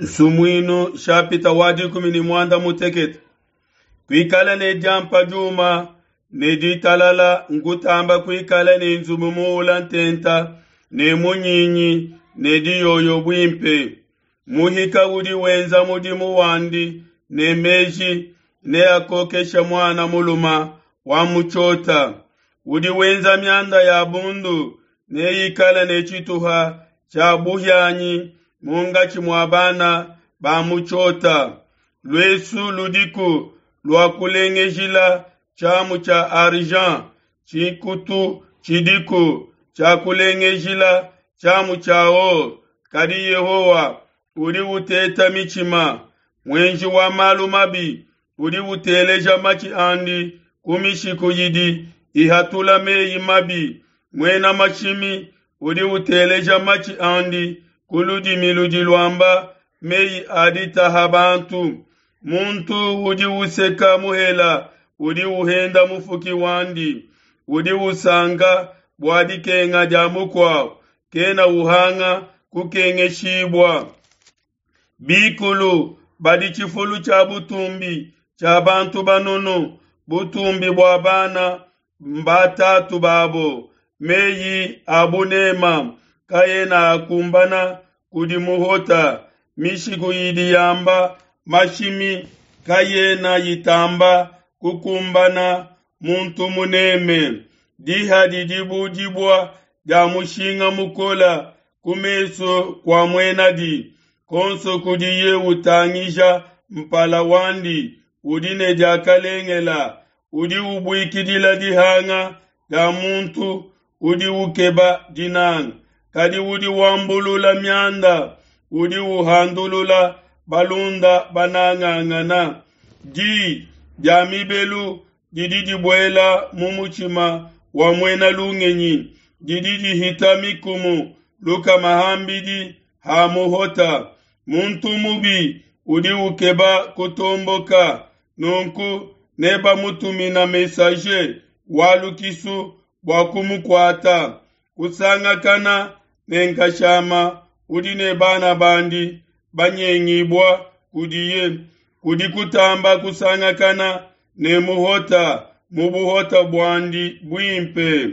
Nsumuinu nshapita wa 16. Kuikala ne diampa diuma ne ditalala nkutamba kuikala ne nzubu muula ntenta ne munyinyi ne diyoyo buimpe. Muhika udi wenza mudimu wandi ne meji neakokeshe muana mulume wa mu tshiota. Udi wenza mianda ya bundu neikale ne tshituha tshia buhianyi munkatshi mua bana ba mu tshiota. Luesu ludiku lua kulengejila tshiamu tshia argent, tshikutu tshidiku tshia kulengejila tshiamu tshia or, kadi Yehowa udi uteta mitshima. Muenji wa malu mabi udi uteleja matshi andi ku mishiku idi ihatula meyi mabi. Muena mashimi udi uteleja matshi andi ku ludimi ludi luamba meyi a ditaha bantu. Muntu udi useka muhela udi uhenda mufuki wandi, udi usanka bua dikenga dia mukuabo, kena uhanga kukengeshibua. Bikulu badi tshifulu tshia butumbi tshia bantu banunu, butumbi bua bana mbatatu babo. Meyi a bunema kaena akumbana kudi muhota, mishiku idi yamba mashimi kayena itamba kukumbana muntu muneme. Diha didi bu dibua dia mushinga mukole ku mesu kua muenadi, konso kudiye utangija mpala wandi udi ne diakalengela. Udi ubuikidila dihanga dia muntu udi ukeba dinanga, kadi udi wambulula mianda udi uhandulula balunda banangangana. Di dia mibelu didi dibuela mu mutshima wa muena lungenyi, didi dihita mikumu lukama ham'bidi ha muhota. Muntu mubi udi ukeba kutomboka, nunku nebamutumina messager wa lukisu bua kumukuata. Kusangakana ne nkashama udi ne bana bandi banyengibua kudiye, kudi kutamba kusangakana ne muhota mu buhota buandi buimpe.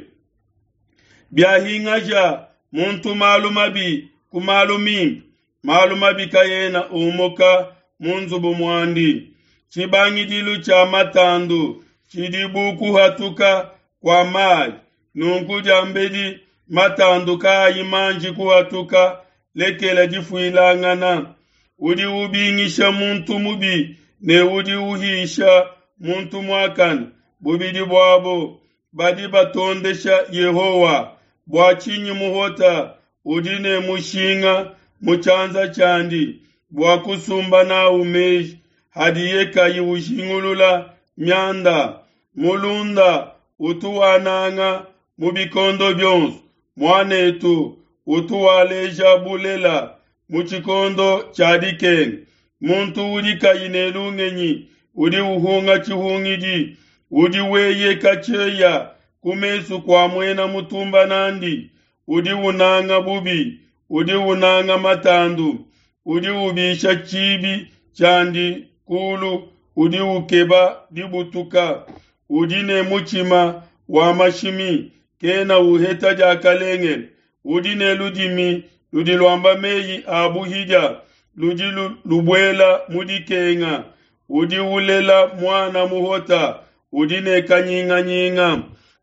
Biahingaja muntu malu mabi ku malu mimpe, malu mabi kaena umuka mu nzubu muandi. Tshibangidilu tshia matandu tshidi bu kuhatuka kua mayi, nunku diambedi matandu kaayi manji kuhatuka, lekela difuilangana. Udi ubingisha muntu mubi ne udi uhisha muntu muakane, bubidi buabo badi batondesha Yehowa. Bua tshinyi muhota udi ne mushinga mu tshianza tshiandi bua kusumba n'au meji hadiye kayi ujingulula mianda? Mulunda utu wananga mu bikondo bionso, muan'etu utu waleja bulela mu tshikondo tshia dikenga. Muntu udi kayi ne lungenyi udi uhunga tshihungidi, udi weyeka tshieya ku mesu kua muena mutumba n'andi. Udi unanga bubi, udi unanga matandu, udi ubisha tshibi tshiandi kulu, udi ukeba dibutuka. Udi ne mutshima wa mashimi, kena uheta diakalengele. Udi ne ludimi ludi luamba meyi a buhidia, ludi lubuela mu dikenga. Udi ulela muana muhota, udi ne kanyinganyinga.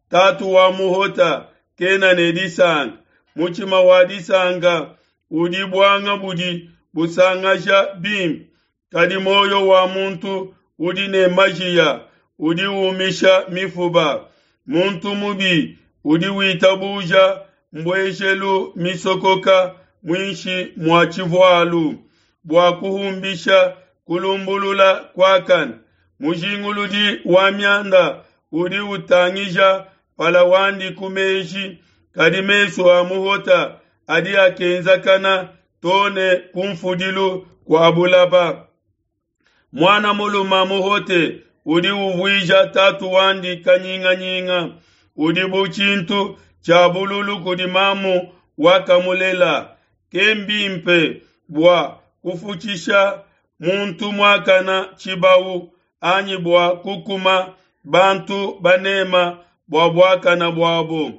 Tatu wa muhota kena ne disanka. Mutshima wa disanka udi buanga budi busangasha bimpe, kadi muoyo wa muntu udi ne majiya udi umisha mifuba. Muntu mubi udi witabuja mbuejelu misokoka muinshi mua tshivualu bua kuhumbisha kulumbulula kuakane. Mujinguludi wa mianda udi utangija mpala wandi ku meji, kadi mesu a muhota adi akenzakana too ne ku mfudilu kua bulaba. Muana mulume muhote udi uvuija tatu wandi kanyinganyinga, udi bu tshintu tshia bululu kudi mamu wakamulela. Kembimpe bua kufutshisha muntu muakana tshibawu, anyi bua kukuma bantu banema bua buakana buabo.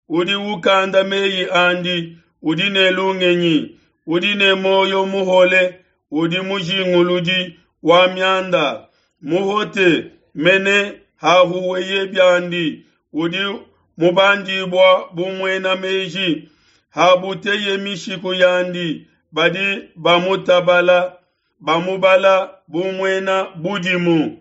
Udi ukanda meyi andi udi ne lungenyi, udi ne muoyo muhole udi mujinguludi wa mianda. Muhote mene hahuweye biandi udi mubandibua bu muena meji. Habuteye mishiku yandi, badi bamutabala, bamubala bu muena budimu.